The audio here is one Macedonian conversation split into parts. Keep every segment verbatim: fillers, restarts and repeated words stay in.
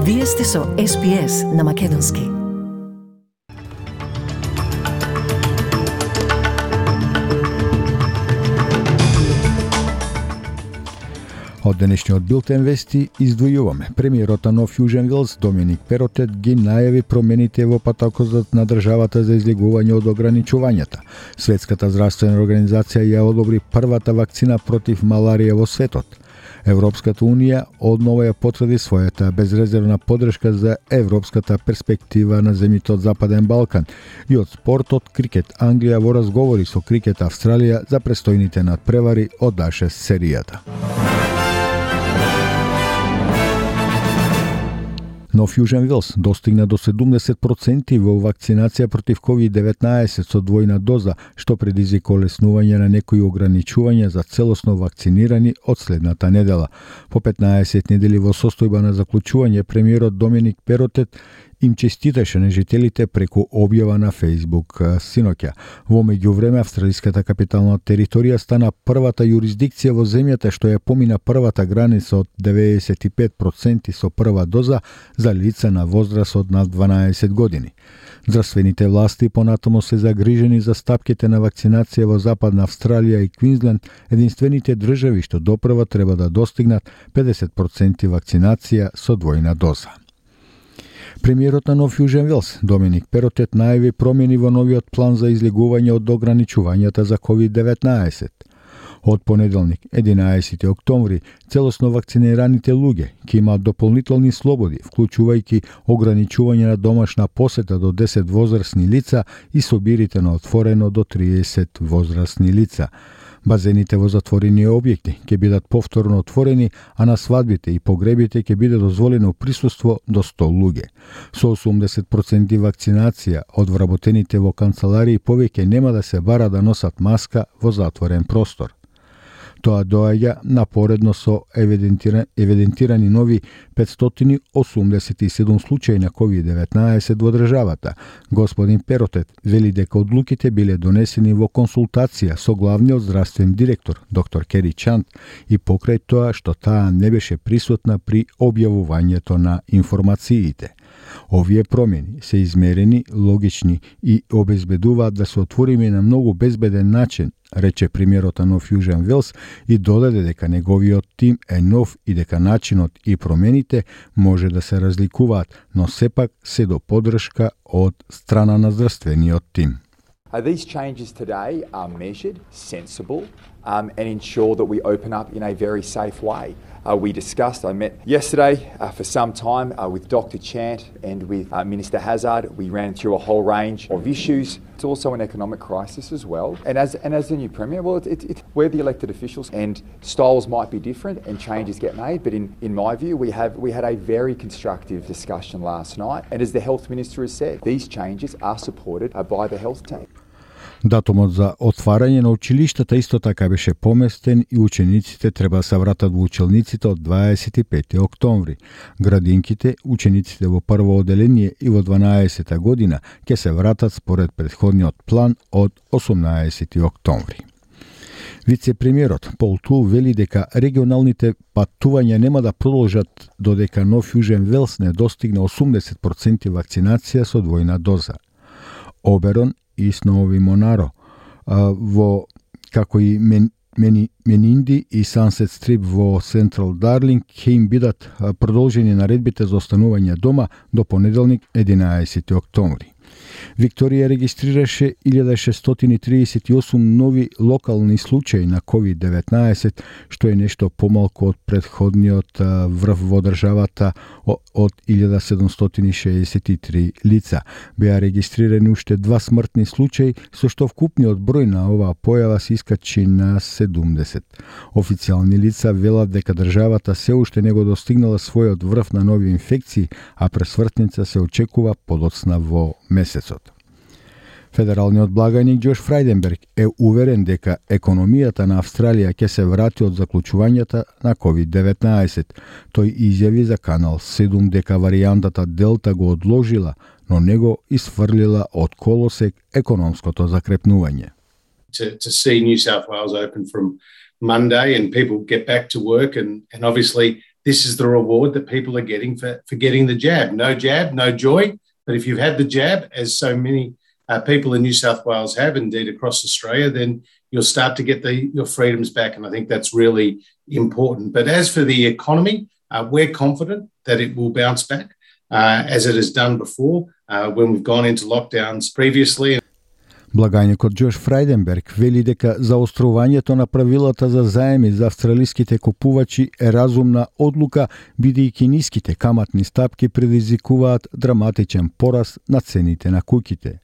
Вие сте со Ес Би Ес на Македонски. Од денешниот билтен вести издвојуваме. Премиерот на Нов Јужен Велс Доминик Перотет ги најави промените во патокот на државата за излегување од ограничувањата. Светската здравствена организација ја одобри првата вакцина против маларија во светот. Европската унија однова ја потврди својата безрезервна поддршка за европската перспектива на земјите од Западен Балкан и од спортот крикет Англија во разговори со крикет Австралија за престојните надпревари од А шест серијата. Нов Јужен Велс достигна до седумдесет проценти во вакцинација против ковид деветнаесет со двојна доза, што предизвика олеснување на некои ограничувања за целосно вакцинирани од следната недела. По петнаесет недели во состојба на заклучување, премиерот Доминик Перотет им честиташе на жителите преку објава на Facebook синоќа. Во меѓувреме, австралиската капитална територија стана првата јурисдикција во земјата што ја помина првата граница од деветдесет и пет проценти со прва доза за лица на возраст од над дванаесет години. Здравствените власти понатаму се загрижени за стапките на вакцинација во Западна Австралија и Квинсленд, единствените држави што допрва треба да достигнат педесет проценти вакцинација со двојна доза. Премиерот на Нов Јужен Велс Доминик Перотет најави промени во новиот план за излегување од ограничувањата за ковид деветнаесет. Од понеделник, единаесети октомври, целосно вакцинираните луѓе ќе имаат дополнителни слободи, вклучувајќи ограничување на домашна посета до десет возрастни лица и собирите на отворено до триесет возрастни лица. Базените во затворени објекти ќе бидат повторно отворени, а на свадбите и погребите ќе биде дозволено присуство до сто луѓе. Со осумдесет проценти вакцинација од вработените во канцеларии повеќе нема да се бара да носат маска во затворен простор. Тоа доаѓа напоредно со евидентира, евидентирани нови петстотини осумдесет и седум случаи на ковид деветнаесет во државата. Господин Перотет вели дека одлуките биле донесени во консултација со главниот здравствен директор, доктор Кери Чанд, и покрај тоа што таа не беше присутна при објавувањето на информациите. Овие промени се измерени, логични и обезбедуваат да се отвориме на многу безбеден начин, рече премиерот на Нов Јужен Велс и додаде дека неговиот тим е нов и дека начинот и промените може да се разликуваат, но сепак се до поддршка од страна на здравствениот тим. Uh, these changes today are measured, sensible, um, and ensure that we open up in a very safe way. Uh, we discussed, I met yesterday uh, for some time uh, with Doctor Chant and with uh, Minister Hazard. We ran through a whole range of issues. It's also an economic crisis as well. And as and as the new Premier, well, it, it, it, we're the elected officials and styles might be different and changes get made. But in, in my view, we have we had a very constructive discussion last night. And as the Health Minister has said, these changes are supported uh, by the health team. Датумот за отварање на училиштата исто така беше поместен и учениците треба да се вратат во училниците од дваесет и пети октомври. Градинките, учениците во прво оделение и во дванаесета година ќе се вратат според претходниот план од осумнаесети октомври. Вице-премиерот Пол Тул вели дека регионалните патувања нема да продолжат додека Нов Јужен Велс не достигне осумдесет проценти вакцинација со двојна доза. Оберон и Сноуви Монаро во како и Мен, Мени, Менинди и Сансет Стрип во Централ Дарлинг ќе им бидат продолжени наредбите за останување дома до понеделник единаесети октомври. Викторија регистрираше илјада шестстотини триесет и осум нови локални случаи на ковид деветнаесет, што е нешто помалку од претходниот врв во државата од илјада седумстотини шеесет и три лица. Беа регистрирани уште два смртни случаи, со што вкупниот број на оваа појава се искачи на седумдесет. Официјални лица велат дека државата се уште не го достигнала својот врв на нови инфекции, а пресвртница се очекува подоцна во месецот. Федералниот благајник Џош Фрајденберг е уверен дека економијата на Австралија ќе се врати од заклучувањата на ковид деветнаесет. Тој изјави за Канал седум дека варијантата Делта го одложила, но не го исфрлила од колосек економското закрепнување. To, to see New South Wales open from Monday and people get back to work and, and obviously this is the reward that people are getting for, for getting the jab. No jab, no joy. But if you've had the jab, as so many uh, people in New South Wales have, indeed across Australia, then you'll start to get the, your freedoms back. And I think that's really important. But as for the economy, uh, we're confident that it will bounce back uh, as it has done before uh, when we've gone into lockdowns previously. Благајникот Џош Фрајденберг вели дека заострувањето на правилата за заеми за австралиските купувачи е разумна одлука, бидејќи ниските каматни стапки предизвикуваат драматичен пораст на цените на куќите.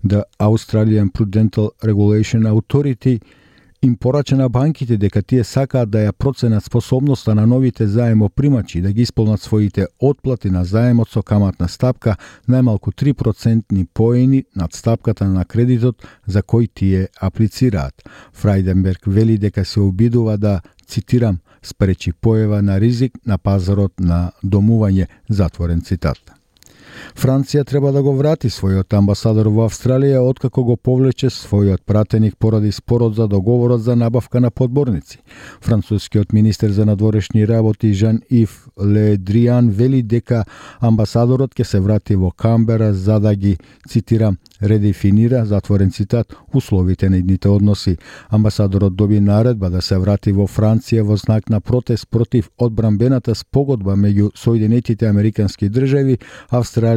The Australian Prudential Regulation Authority им порача на банките дека тие сакаат да ја проценат способноста на новите заемопримачи да ги исполнат своите отплати на заемот со каматна стапка најмалку три процентни поени над стапката на кредитот за кој тие аплицираат. Фрајденберг вели дека се обидува да, цитирам, спречи појава на ризик на пазарот на домување, затворен цитат. Франција треба да го врати својот амбасадор во Австралија откако го повлече својот пратеник поради спорот за договорот за набавка на подморници. Францускиот министер за надворешни работи Жан-Ив Ле Дриан вели дека амбасадорот ќе се врати во Камбера за да ги, цитирам, редефинира, затворен цитат, условите на идните односи. Амбасадорот доби наредба да се врати во Франција во знак на протест против одбранбената спогодба меѓу Соединетите Американски држави, Австралија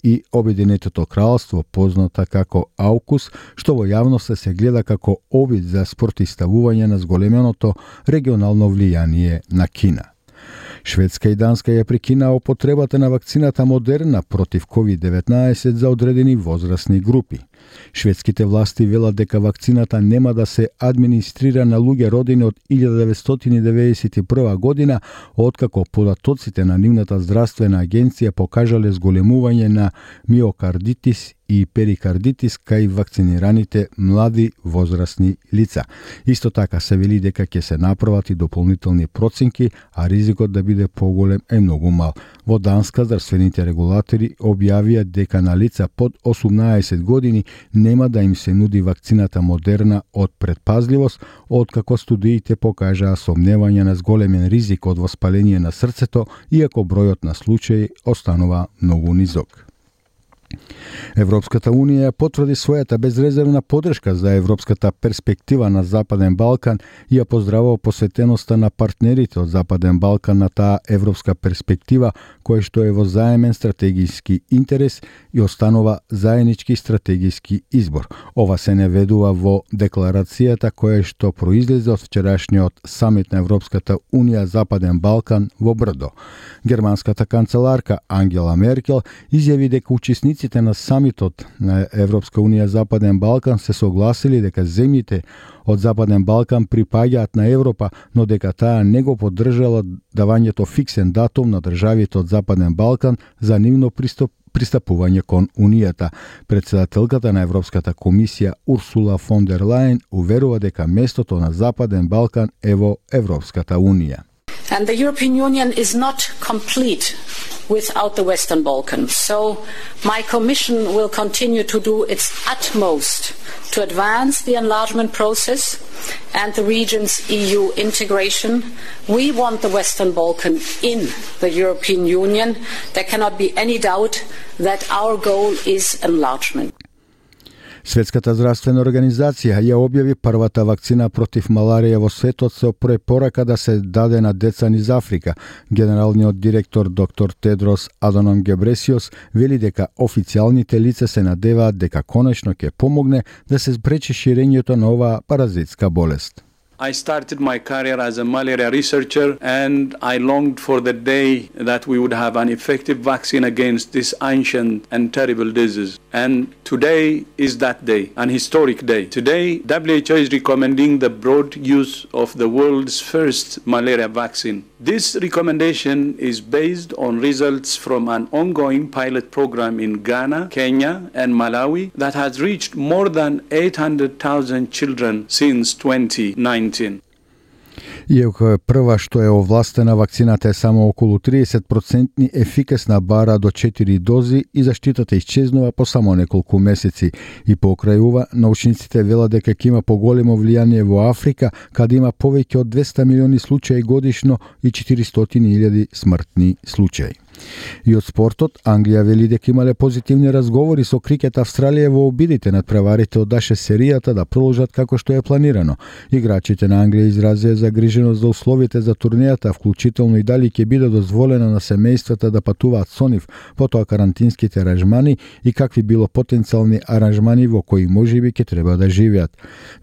и Обединетото кралство, позната како АУКУС, што во јавноста се гледа како обид за спротивставување на зголеменото регионално влијание на Кина. Шведска и Данска ја прекинаа употребата на вакцината Модерна против ковид деветнаесет за одредени возрастни групи. Шведските власти велат дека вакцината нема да се администрира на луѓе родени од илјада деветстотини деветдесет и прва година, откако податоците на нивната здравствена агенција покажале зголемување на миокардитис и перикардитис кај вакцинираните млади возрастни лица. Исто така се вели дека ќе се направат и дополнителни проценки, а ризикот да биде поголем е многу мал. Во Данска здравствените регулатори објавија дека на лица под осумнаесет години нема да им се нуди вакцината Модерна од предпазливост, откако студиите покажаа сомневање на зголемен ризик од воспаление на срцето, иако бројот на случаи останува многу низок. Европската Унија потврди својата безрезервна поддршка за европската перспектива на Западен Балкан и ја поздравува посветеноста на партнерите од Западен Балкан на таа европска перспектива, која што е во заемен стратегиски интерес и останува заеднички стратегиски избор. Ова се наведува во декларацијата која што произлезе од вчерашниот самит на Европската Унија Западен Балкан во Брдо. Германската канцеларка Ангела Меркел изјави дека учесниците на самитот на Европска Унија Западен Балкан се согласили дека земјите од Западен Балкан припаѓаат на Европа, но дека таа не го поддржала давањето фиксен датум на државите од Западен Балкан за нивно приступ пристапување кон Унијата. Председателката на Европската комисија Урсула фон дер Лајен уверува дека местото на Западен Балкан е во Европската Унија. And the European Union is not complete without the Western Balkans. So my Commission will continue to do its utmost to advance the enlargement process and the region's E U integration. We want the Western Balkan in the European Union. There cannot be any doubt that our goal is enlargement. Светската здравствена организација ја објави првата вакцина против маларија во светот со препорака да се даде на деца низ Африка. Генералниот директор доктор Тедрос Аданом Гебресиос вели дека официјалните лица се надеваат дека конечно ќе помогне да се спречи ширењето на оваа паразитска болест. I started my career as a malaria researcher and I longed for the day that we would have an effective vaccine against this ancient and terrible disease. And today is that day, an historic day. Today, W H O is recommending the broad use of the world's first malaria vaccine. This recommendation is based on results from an ongoing pilot program in Ghana, Kenya, and Malawi that has reached more than eight hundred thousand children since twenty nineteen. Иако е прва што е овластена, вакцината е само околу триесет проценти ефикасна, бара до четири дози и заштитата исчезнува по само неколку месеци. И покрај ова, научниците велат дека ќе има поголемо влијание во Африка, каде има повеќе од двесте милиони случаи годишно и четиристотини илјади смртни случаи. И од спортот, Англија вели дека имале позитивни разговори со Крикет Австралија во обидите над преварите од Аше серијата да продолжат како што е планирано. Играчите на Англија изразија загриженост за условите за турнејата, вклучително и дали ќе биде дозволено на семејствата да патуваат со нив, потоа карантинските аранжмани и какви било потенцијални аранжмани во кои можеби ќе треба да живеат.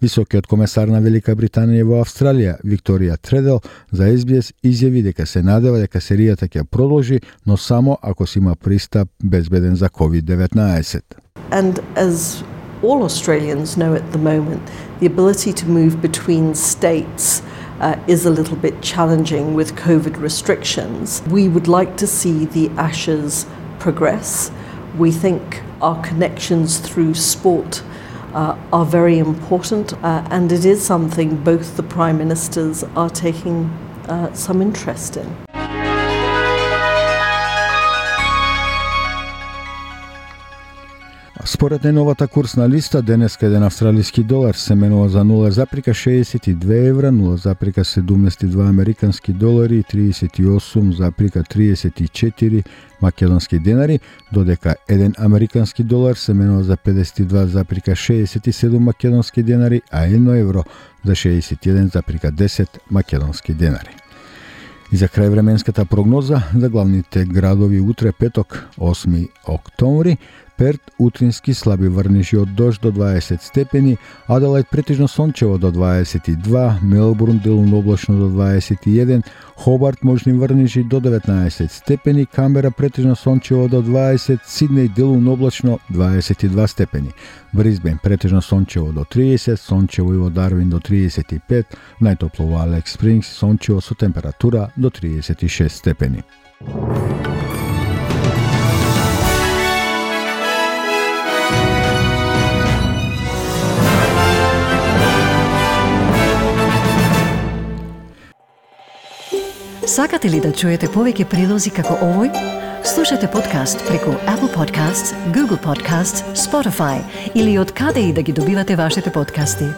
Високиот комесар на Велика Британија во Австралија, Викторија Тредел, за Ес Би Ес изјави дека се надева дека серијата ќе продолжи, но само ако си има пристап безбеден за ковид деветнаесет. And as all Australians know at the moment, the ability to move between states uh, is a little bit challenging with COVID restrictions. We would like to see the Ashes progress. We think our connections through sport uh, are very important, uh, and it is something both the Prime Ministers are taking uh, some interest in. Според најновата курсна листа, денеска еден австралиски долар се менува за нула запирка шеесет и две евра, нула запирка седумнаесет и два американски долари и триесет и осум запирка триесет и четири македонски денари, додека еден американски долар се менува за педесет и два запирка шеесет и седум македонски денари, а едно евро за шеесет и еден запирка десет македонски денари. И за крај временската прогноза за главните градови утре петок, осми октомври, Перт утрински слаби врнежи од дожд до дваесет степени, Аделајд претежно сончево до дваесет и два, Мелбурн делумно облачно до дваесет и еден, Хобарт можни врнежи до деветнаесет степени, Камбера претежно сончево до дваесет, Сиднеј делумно облачно дваесет и два степени, Брисбен претежно сончево до триесет, сончево и во Дарвин до триесет и пет, најтопло во Алекс Спрингс, сончево со температура до триесет и шест степени. Сакате ли да чуете повеќе прилози како овој? Слушате подкаст преку Apple Podcasts, Google Podcasts, Spotify или од каде и да ги добивате вашите подкасти.